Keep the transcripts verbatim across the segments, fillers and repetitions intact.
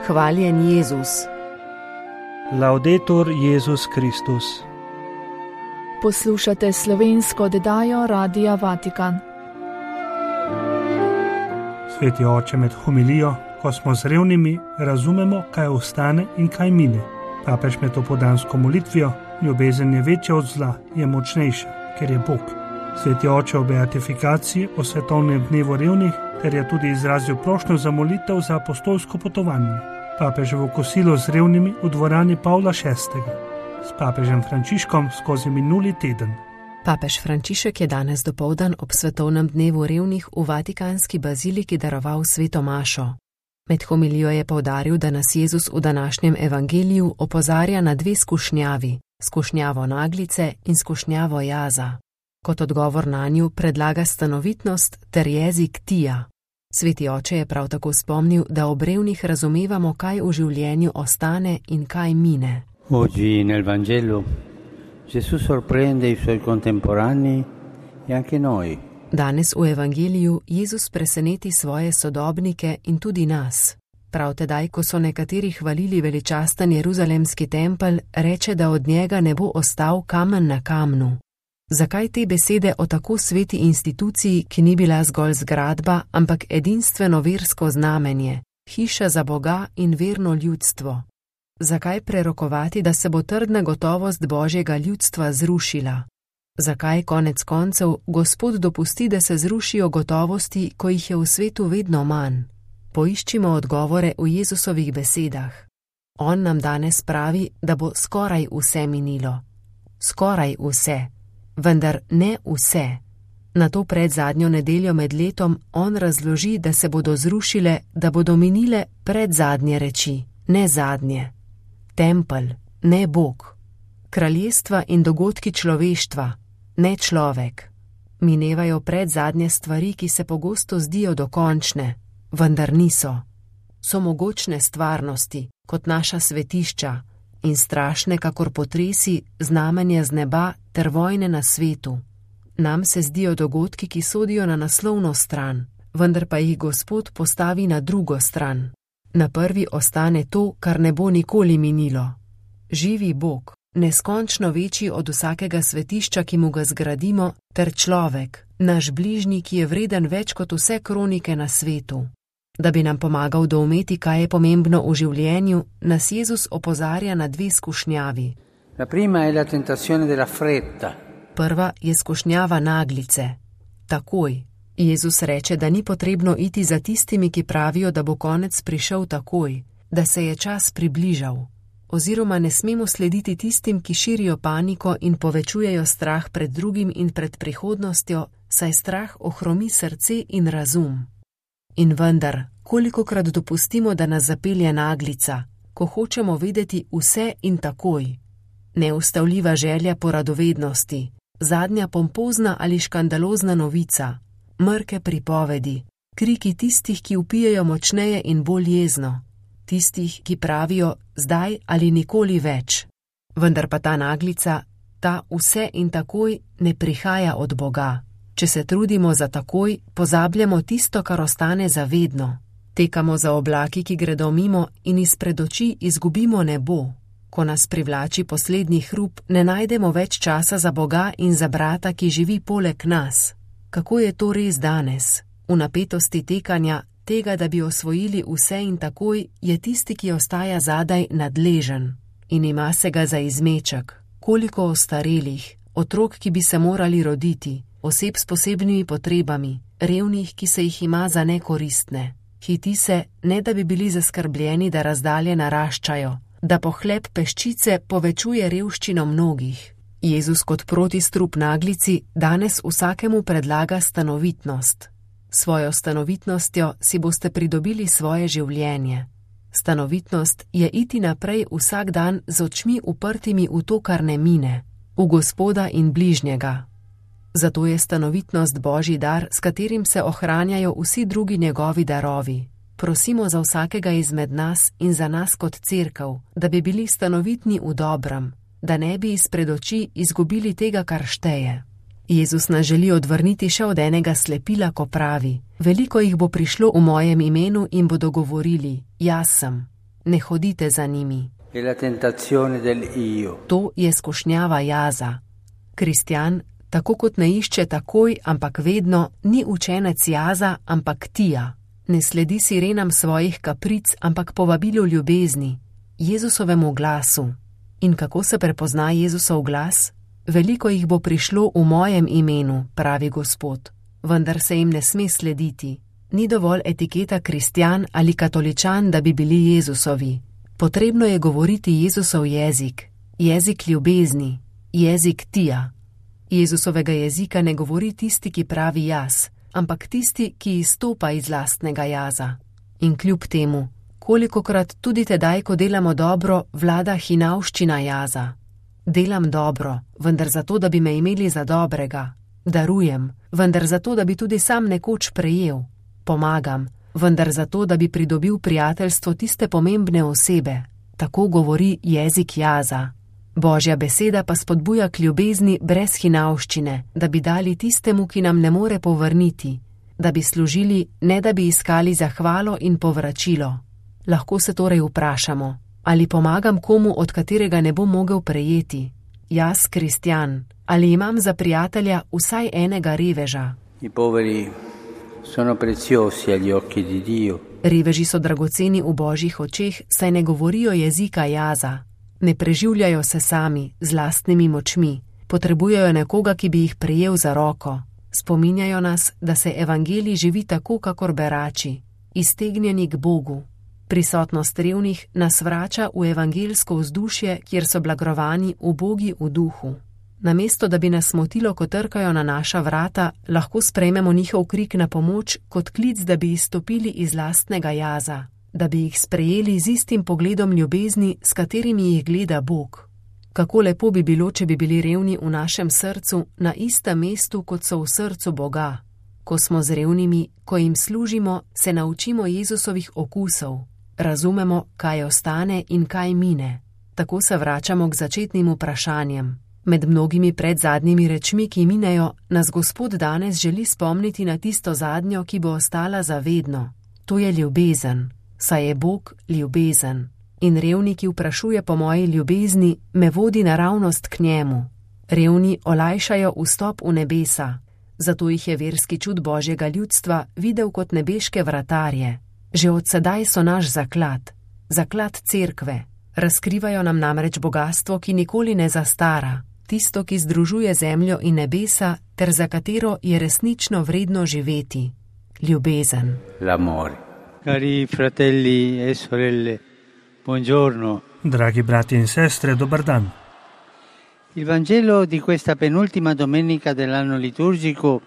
Hvaljen Jezus. Laudetur Jezus Kristus. Poslušate slovensko oddajo Radia Vatikan. Sveti oče, med homilijo, ko smo z revnimi, razumemo, kaj ostane in kaj mine. Papež med opoldansko molitvijo: ljubezen je večja od zla, je močnejša, ker je Bog. Sveti oče o beatifikaciji, o svetovnem dnevu revnih, ter je tudi izrazil prošnjo za molitev za apostolsko potovanje. Papeževo kosilo z revnimi v dvorani Pavla šestega. S papežem Frančiškom skozi minuli teden. Papež Frančišek je danes dopoldan ob svetovnem dnevu revnih v Vatikanski baziliki daroval sveto mašo. Med homilijo je poudaril, da nas Jezus v današnjem evangeliju opozarja na dve skušnjavi, skušnjavo naglice in skušnjavo jaza. Kot odgovor nanju predlaga stanovitnost ter jezik tija. Sveti oče je prav tako spomnil, da ob revnih razumevamo, kaj v življenju ostane in kaj mine. Oggi nel Vangelo Gesù sorprende i suoi contemporanei e anche noi. Danes v evangeliju Jezus preseneti svoje sodobnike in tudi nas. Prav tedaj, ko so nekateri hvalili veličasten jeruzalemski tempelj, reče, da od njega ne bo ostal kamen na kamnu. Zakaj te besede o tako sveti instituciji, ki ni bila zgolj zgradba, ampak edinstveno versko znamenje, hiša za Boga in verno ljudstvo? Zakaj prerokovati, da se bo trdna gotovost Božjega ljudstva zrušila? Zakaj konec koncev Gospod dopusti, da se zrušijo gotovosti, ko jih je v svetu vedno manj? Poiščimo odgovore v Jezusovih besedah. On nam danes pravi, da bo skoraj vse minilo. Skoraj vse. Vendar ne vse. Na to pred zadnjo nedeljo med letom on razloži, da se bodo zrušile, da bodo minile pred zadnje reči, ne zadnje. Tempelj, ne Bog. Kraljestva in dogodki človeštva, ne človek. Minevajo pred zadnje stvari, ki se pogosto zdijo dokončne, vendar niso. So mogočne stvarnosti, kot naša svetišča, in strašne, kakor potresi, znamenje z neba ter vojne na svetu. Nam se zdijo dogodki, ki sodijo na naslovno stran, vendar pa jih Gospod postavi na drugo stran. Na prvi ostane to, kar ne bo nikoli minilo. Živi Bog, neskončno večji od vsakega svetišča, ki mu ga zgradimo, ter človek, naš bližnji, ki je vreden več kot vse kronike na svetu. Da bi nam pomagal doumeti, kaj je pomembno v življenju, nas Jezus opozarja na dve skušnjavi. La prima è la tentazione della fretta. Prva je skušnjava naglice. Takoj. Jezus reče, da ni potrebno iti za tistimi, ki pravijo, da bo konec prišel takoj, da se je čas približal. Oziroma ne smemo slediti tistim, ki širijo paniko in povečujejo strah pred drugim in pred prihodnostjo, saj strah ohromi srce in razum. In vendar, kolikokrat dopustimo, da nas zapelje naglica, ko hočemo vedeti vse in takoj. Neustavljiva želja po radovednosti, zadnja pompozna ali škandalozna novica, mrke pripovedi, kriki tistih, ki vpijejo močneje in bolj jezno, tistih, ki pravijo zdaj ali nikoli več. Vendar pa ta naglica, ta vse in takoj ne prihaja od Boga. Če se trudimo za takoj, pozabljamo tisto, kar ostane za vedno. Tekamo za oblaki, ki gredo mimo, in izpred oči izgubimo nebo. Ko nas privlači poslednji hrup, ne najdemo več časa za Boga in za brata, ki živi poleg nas. Kako je to res danes? V napetosti tekanja, tega, da bi osvojili vse in takoj, je tisti, ki ostaja zadaj, nadležen in ima se ga za izmeček. Koliko ostarelih, otrok, ki bi se morali roditi, oseb s posebnimi potrebami, revnih, ki se jih ima za nekoristne. Hiti se, ne da bi bili zaskrbljeni, da razdalje naraščajo, da pohlep peščice povečuje revščino mnogih. Jezus kot protistrup naglici danes vsakemu predlaga stanovitnost. Svojo stanovitnostjo si boste pridobili svoje življenje. Stanovitnost je iti naprej vsak dan z očmi uprtimi v to, kar ne mine, v Gospoda in bližnjega. Zato je stanovitnost Božji dar, s katerim se ohranjajo vsi drugi njegovi darovi. Prosimo za vsakega izmed nas in za nas kot cerkev, da bi bili stanovitni v dobrem, da ne bi izpred oči izgubili tega, kar šteje. Jezus nas želi odvrniti še od enega slepila, ko pravi: veliko jih bo prišlo v mojem imenu in bodo govorili: jaz sem. ne hodite za njimi. È la tentazione del io. To je skušnjava jaza. Kristjan, tako kot ne išče takoj, ampak vedno, ni učenec jaza, ampak tija. Ne sledi sirenam svojih kapric, ampak povabilu ljubezni, Jezusovemu glasu. In kako se prepozna Jezusov glas? Veliko jih bo prišlo v mojem imenu, pravi Gospod, vendar se jim ne sme slediti. Ni dovolj etiketa kristjan ali katoličan, da bi bili Jezusovi. Potrebno je govoriti Jezusov jezik, jezik ljubezni, jezik tija. Jezusovega jezika ne govori tisti, ki pravi jaz, ampak tisti, ki izstopa iz lastnega jaza. In kljub temu, kolikokrat tudi tedaj, ko delamo dobro, vlada hinavščina jaza. Delam dobro, vendar zato, da bi me imeli za dobrega. Darujem, vendar zato, da bi tudi sam nekoč prejel. Pomagam, vendar zato, da bi pridobil prijateljstvo tiste pomembne osebe. Tako govori jezik jaza. Božja beseda pa spodbuja k ljubezni brez hinavščine, da bi dali tistemu, ki nam ne more povrniti, da bi služili, ne da bi iskali zahvalo in povračilo. Lahko se torej vprašamo, ali pomagam komu, od katerega ne bom mogel prejeti? Jaz, kristjan, ali imam za prijatelja vsaj enega reveža? I poveri sono preziosi agli occhi di Dio. Reveži so dragoceni v Božjih očeh, saj ne govorijo jezika jaza. Ne preživljajo se sami, z lastnimi močmi. Potrebujejo nekoga, ki bi jih prijel za roko. Spominjajo nas, da se evangelij živi tako, kakor berači, iztegnjeni k Bogu. Prisotnost revnih nas vrača v evangeljsko vzdušje, kjer so blagrovani ubogi v duhu. Namesto, da bi nas motilo, ko trkajo na naša vrata, lahko sprejmemo njihov krik na pomoč kot klic, da bi izstopili iz lastnega jaza, da bi jih sprejeli z istim pogledom ljubezni, s katerimi jih gleda Bog. Kako lepo bi bilo, če bi bili revni v našem srcu na istem mestu, kot so v srcu Boga. Ko smo z revnimi, ko jim služimo, se naučimo Jezusovih okusov. Razumemo, kaj ostane in kaj mine. Tako se vračamo k začetnim vprašanjem. Med mnogimi predzadnjimi rečmi, ki minejo, nas Gospod danes želi spomniti na tisto zadnjo, ki bo ostala zavedno. To je ljubezen, saj je Bog ljubezen. In revni, ki vprašuje po moji ljubezni, me vodi naravnost k njemu. Revni olajšajo vstop v nebesa, zato jih je verski čud Božjega ljudstva videl kot nebeške vratarje. Že od sedaj so naš zaklad, zaklad cerkve. Razkrivajo nam namreč bogastvo, ki nikoli ne zastara, tisto, ki združuje zemljo in nebesa, ter za katero je resnično vredno živeti. Ljubezen. L'amore. Cari fratelli e sorelle, buongiorno. Dragi brati in sestre, dobar dan. Il Vangelo di questa penultima domenica dell'anno liturgico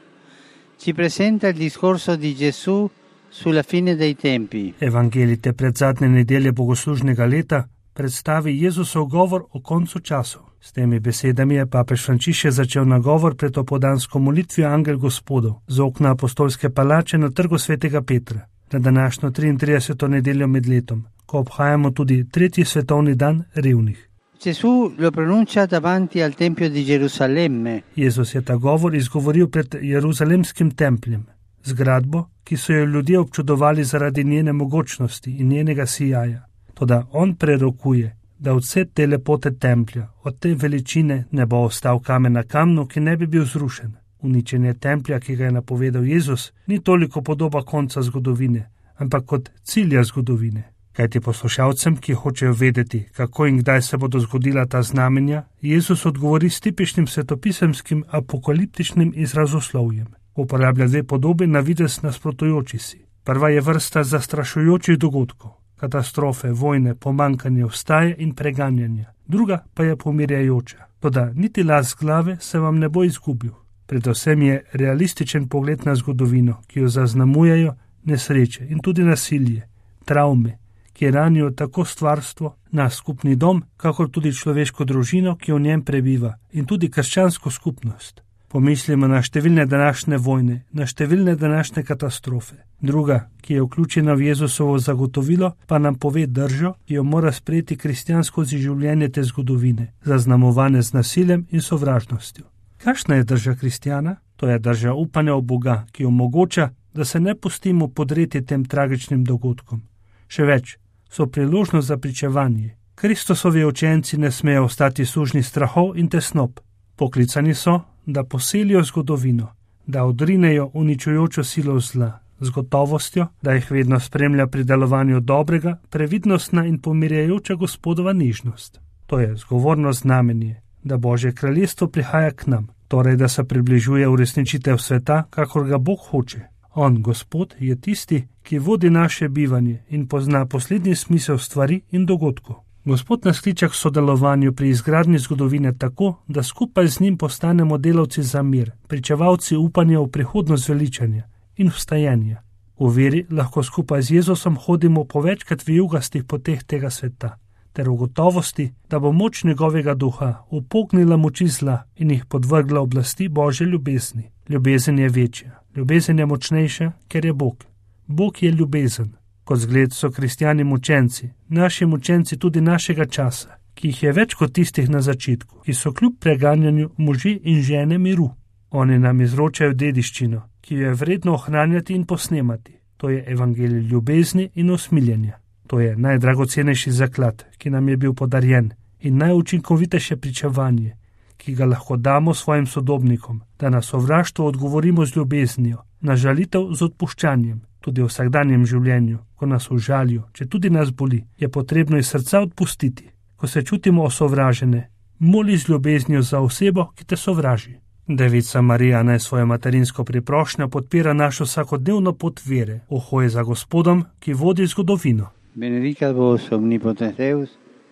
ci presenta il discorso di Gesù sulla fine dei tempi. Evangelij te predzadnje nedelje bogoslužnega leta predstavi Jezusov govor o koncu časov. S temi besedami je papež Frančišek začel nagovor pred opoldansko molitvijo Angel Gospodov z okna apostolske palače na trgu svetega Petra, na današnjo triintrideseto nedeljo med letom, ko obhajamo tudi tretji svetovni dan revnih. Gesù lo pronuncia davanti al tempio di Gerusalemme. Jezus je ta govor izgovoril pred Jeruzalemskim templjem, zgradbo, ki so jo ljudje občudovali zaradi njene mogočnosti in njenega sijaja. Toda on prerokuje, da od vse te lepote templja, od te veličine ne bo ostal kamen na kamnu, ki ne bi bil zrušen. Uničenje templja, ki ga je napovedal Jezus, ni toliko podoba konca zgodovine, ampak kot cilja zgodovine. Kajti poslušalcem, ki hočejo vedeti, kako in kdaj se bodo zgodila ta znamenja, Jezus odgovori s tipičnim svetopisemskim apokaliptičnim izrazoslovjem. Uporablja dve podobi na videz nasprotujoči si. Prva je vrsta zastrašujočih dogodkov, katastrofe, vojne, pomankanje, vstaje in preganjanja. Druga pa je pomirjajoča. Toda niti las glave se vam ne bo izgubil. Predvsem je realističen pogled na zgodovino, ki jo zaznamujejo nesreče in tudi nasilje, travme, ki ranijo tako stvarstvo, naš skupni dom, kakor tudi človeško družino, ki v njem prebiva, in tudi krščansko skupnost. Pomislimo na številne današnje vojne, na številne današnje katastrofe. Druga, ki je vključena v Jezusovo zagotovilo, pa nam pove držo, ki jo mora sprejeti kristjan skozi življenje te zgodovine, zaznamovane z nasiljem in sovražnostjo. Kakšna je drža kristjana? To je drža upanja v Boga, ki omogoča, da se ne pustimo podreti tem tragičnim dogodkom. Še več, so priložnost za pričevanje. Kristusovi učenci ne smejo ostati sužni strahov in tesnob. Poklicani so, da poselijo zgodovino, da odrinejo uničujočo silo zla, z gotovostjo, da jih vedno spremlja pri delovanju dobrega, previdnostna in pomirjajoča Gospodova nežnost. To je zgovorno znamenje, da Božje kraljestvo prihaja k nam, torej da se približuje uresničitev sveta, kakor ga Bog hoče. On, Gospod, je tisti, ki vodi naše bivanje in pozna poslednji smisel stvari in dogodkov. Gospod nas kliče k sodelovanju pri izgradnji zgodovine tako, da skupaj z njim postanemo delavci za mir, pričevalci upanja v prihodnost veličanja in vstajenja. V veri lahko skupaj z Jezusom hodimo po večkrat vijugastih poteh tega sveta, ter v gotovosti, da bo moč njegovega duha upognila moči zla in jih podvrgla oblasti Božje ljubezni. Ljubezen je večja, ljubezen je močnejša, ker je Bog. Bog je ljubezen. Kot zgled so kristjani mučenci, naši mučenci tudi našega časa, ki jih je več kot tistih na začetku, ki so kljub preganjanju možje in žene miru. Oni nam izročajo dediščino, ki jo je vredno ohranjati in posnemati. To je evangelij ljubezni in usmiljenja. To je najdragocenejši zaklad, ki nam je bil podarjen, in najučinkovitejše pričevanje, ki ga lahko damo svojim sodobnikom, da na sovraštvo odgovorimo z ljubeznijo, na žalitev z odpuščanjem. Tudi v vsakdanjem življenju, ko nas užalijo, če tudi nas boli, je potrebno iz srca odpustiti. Ko se čutimo osovražene, moli z ljubeznijo za osebo, ki te sovraži. Devica Marija naj svojo materinsko priprošnjo podpira našo vsakodnevno pot vere, v hoji za Gospodom, ki vodi zgodovino. Benedicat vos omnipotens Deus,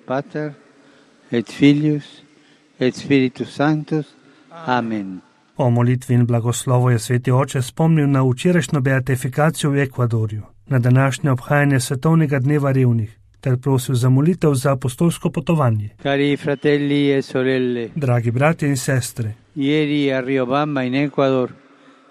Pater et Filius et Spiritus Sanctus. Amen. O molitvi in blagoslovu je sveti oče spomnil na včerajšnjo beatifikacijo v Ekvadorju, na današnje obhajanje svetovnega dneva revnih, ter prosil za molitev za apostolsko potovanje. Cari fratelli e sorelle, dragi bratje in sestre, ieri a Riobamba in Ecuador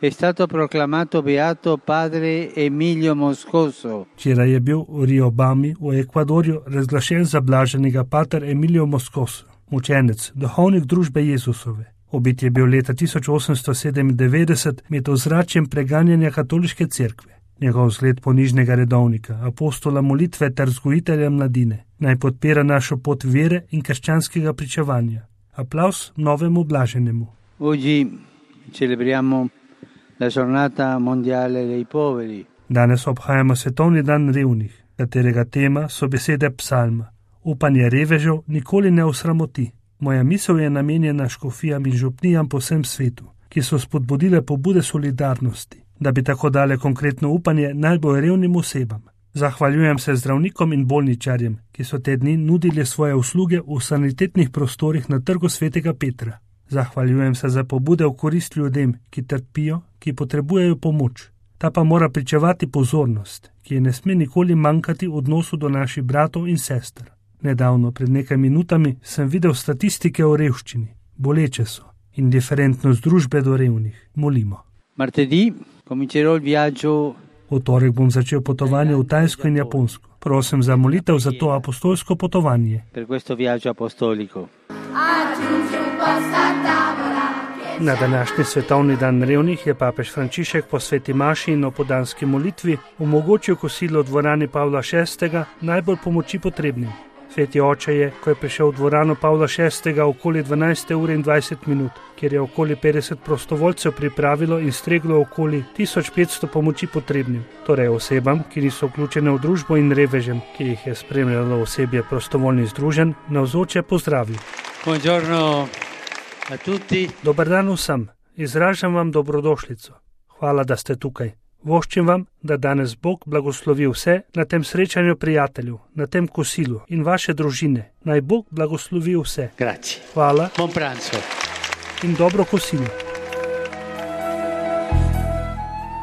è stato proclamato beato padre Emilio Moscoso. Včeraj je bil v Riobambi v Ekvadorju razglašen za blaženega pater Emilio Moscoso, mučenec, duhovnik družbe Jezusove. Ubit je bil leta tisoč osemsto sedemindevetdeset med ozračjem preganjanja katoliške cerkve. Njegov zgled ponižnega redovnika, apostola molitve ter vzgojitelja mladine, naj podpira našo pot vere in krščanskega pričevanja. Aplavz novemu blaženemu. Oggi celebriamo la giornata mondiale dei poveri. Danes obhajamo svetovni dan revnih, katerega tema so besede psalma. Upanje revežev nikoli ne osramoti. Moja misel je namenjena škofijam in župnijam po vsem svetu, ki so spodbudile pobude solidarnosti, da bi tako dale konkretno upanje najbolj revnim osebam. Zahvaljujem se zdravnikom in bolničarjem, ki so te dni nudili svoje usluge v sanitetnih prostorih na trgu svetega Petra. Zahvaljujem se za pobude v korist ljudem, ki trpijo, ki potrebujejo pomoč. Ta pa mora pričevati pozornost, ki je ne sme nikoli manjkati v odnosu do naših bratov in sester. Nedavno, pred nekaj minutami, sem videl statistike o revščini. Boleče so. Indiferentnost družbe do revnih. Molimo. Martedì comincerò il viaggio. V torek bom začel potovanje v Tajsko in Japonsko. Prosim za molitev za to apostolsko potovanje. Per questo viaggio apostolico. Na današnji svetovni dan revnih je papež Frančišek po sveti maši in opodanski molitvi omogočil kosilo v dvorani Pavla šestega najbolj pomoči potrebnim. Sveti oče je, ko je prišel v dvorano Pavla šestega okoli dvanajste ure in dvajset minut, kjer je okoli petdeset prostovoljcev pripravilo in streglo okoli tisoč petsto pomoči potrebnim, torej osebam, ki niso vključene v družbo, in revežem, ki jih je spremljalo osebje prostovoljnih združenj, navzoče pozdravil. Buongiorno a tutti. Dober dan vsem, izražam vam dobrodošlico. Hvala, da ste tukaj. Voščim vam, da danes Bog blagoslovi vse na tem srečanju prijateljev, na tem kosilu in vaše družine. Naj Bog blagoslovi vse. Grazie. Hvala. Buon pranzo. In dobro kosilo.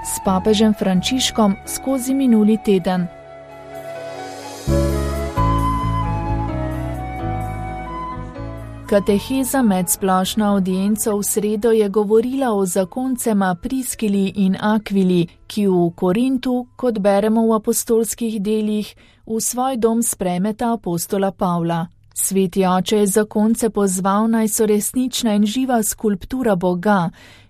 S papežem Frančiškom skozi minuli teden. Kateheza med splošno audienco v sredo je govorila o zakoncema Priskili in Akvili, ki v Korintu, kot beremo v apostolskih delih, v svoj dom sprejmeta apostola Pavla. Sveti oče je zakonce pozval, naj so resnična in živa skulptura Boga,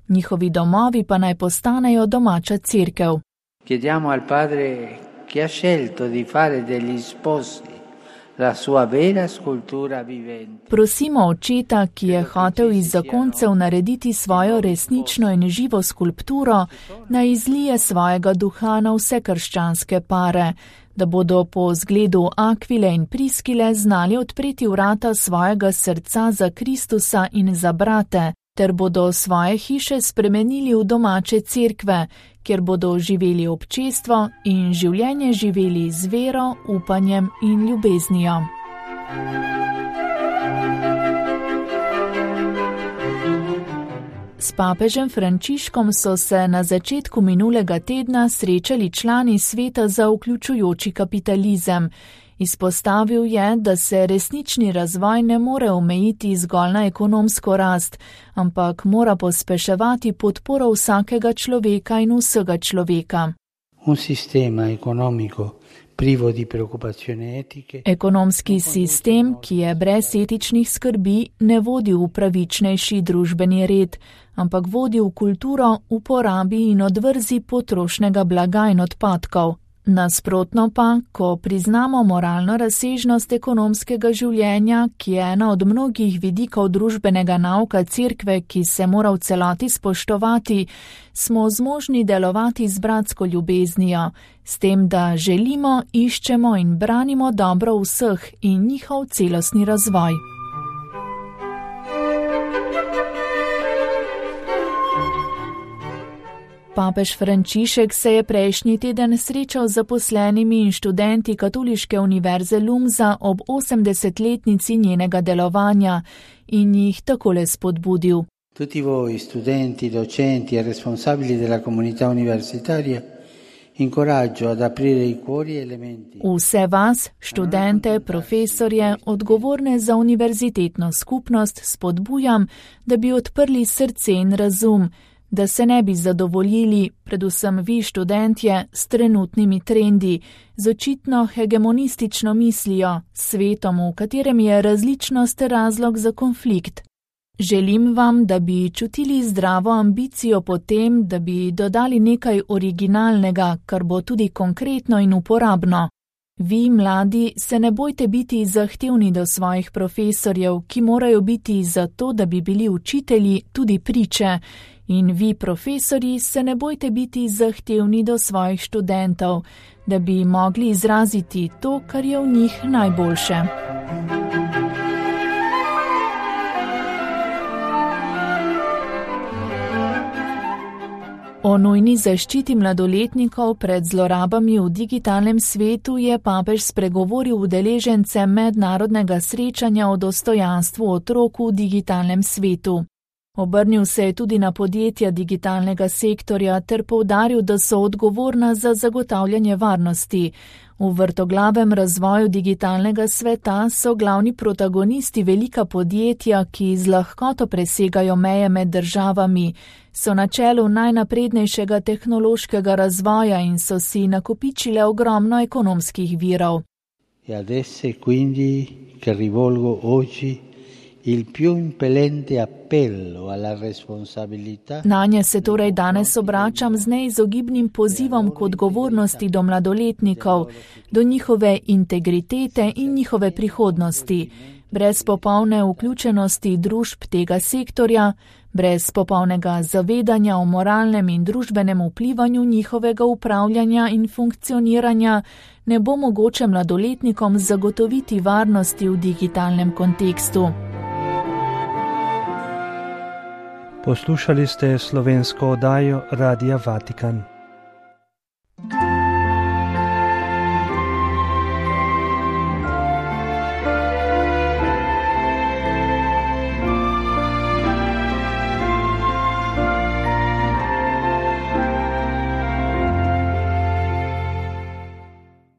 njihovi domovi pa naj postanejo domača cerkev. Chiediamo al Padre che ha scelto di fare degli sposi la sua vera scultura vivente. Prosimo očeta, ki je hotel iz zakoncev narediti svojo resnično in živo skulpturo, naj izlije svojega duha na vse krščanske pare, da bodo po zgledu Akvile in Priskile znali odpreti vrata svojega srca za Kristusa in za brate, ter bodo svoje hiše spremenili v domače cerkve, kjer bodo živeli občestvo in življenje živeli z vero, upanjem in ljubeznijo. S papežem Frančiškom so se na začetku minulega tedna srečali člani Sveta za vključujoči kapitalizem. Izpostavil je, da se resnični razvoj ne more omejiti zgolj na ekonomsko rast, ampak mora pospeševati podporo vsakega človeka in vsega človeka. Un sistema economico privo di preoccupazioni etiche. Ekonomski sistem, ki je brez etičnih skrbi, ne vodi v pravičnejši družbeni red, ampak vodi v kulturo uporabi in odvrzi potrošnega blaga in odpadkov. Nasprotno pa, ko priznamo moralno razsežnost ekonomskega življenja, ki je ena od mnogih vidikov družbenega nauka cerkve, ki se mora v celoti spoštovati, smo zmožni delovati z bratsko ljubeznijo, s tem, da želimo, iščemo in branimo dobro vseh in njihov celostni razvoj. Papež Frančišek se je prejšnji teden srečal z zaposlenimi in študenti Katoliške univerze Lumsa ob osemdesetletnici njenega delovanja in jih takole spodbudil. Tutti voi, studenti, docenti e responsabili della comunità universitaria, incoraggio ad aprire i cuori e le menti. Vse vas, študente, profesorje, odgovorne za univerzitetno skupnost, spodbujam, da bi odprli srce in razum, da se ne bi zadovoljili, predvsem vi študentje, s trenutnimi trendi, z očitno hegemonistično mislijo, svetom, v katerem je različnost razlog za konflikt. Želim vam, da bi čutili zdravo ambicijo po tem, da bi dodali nekaj originalnega, kar bo tudi konkretno in uporabno. Vi, mladi, se ne bojte biti zahtevni do svojih profesorjev, ki morajo biti za to, da bi bili učitelji, tudi priče. In vi, profesorji, se ne bojte biti zahtevni do svojih študentov, da bi mogli izraziti to, kar je v njih najboljše. O nujni zaščiti mladoletnikov pred zlorabami v digitalnem svetu je papež spregovoril udeležence mednarodnega srečanja o dostojanstvu otrok v digitalnem svetu. Obrnil se je tudi na podjetja digitalnega sektorja ter poudaril, da so odgovorna za zagotavljanje varnosti. V vrtoglavem razvoju digitalnega sveta so glavni protagonisti velika podjetja, ki z lahkoto presegajo meje med državami, so na čelu najnaprednejšega tehnološkega razvoja in so si nakopičile ogromno ekonomskih virov. E adesso quindi che rivolgo oggi il più impellente appello alla responsabilità. Nanje se torej danes obračam z neizogibnim pozivom k odgovornosti do mladoletnikov, do njihove integritete in njihove prihodnosti. Brez popolne vključenosti družb tega sektorja, brez popolnega zavedanja o moralnem in družbenem vplivanju njihovega upravljanja in funkcioniranja, ne bo mogoče mladoletnikom zagotoviti varnosti v digitalnem kontekstu. Poslušali ste slovensko oddajo Radia Vatikan.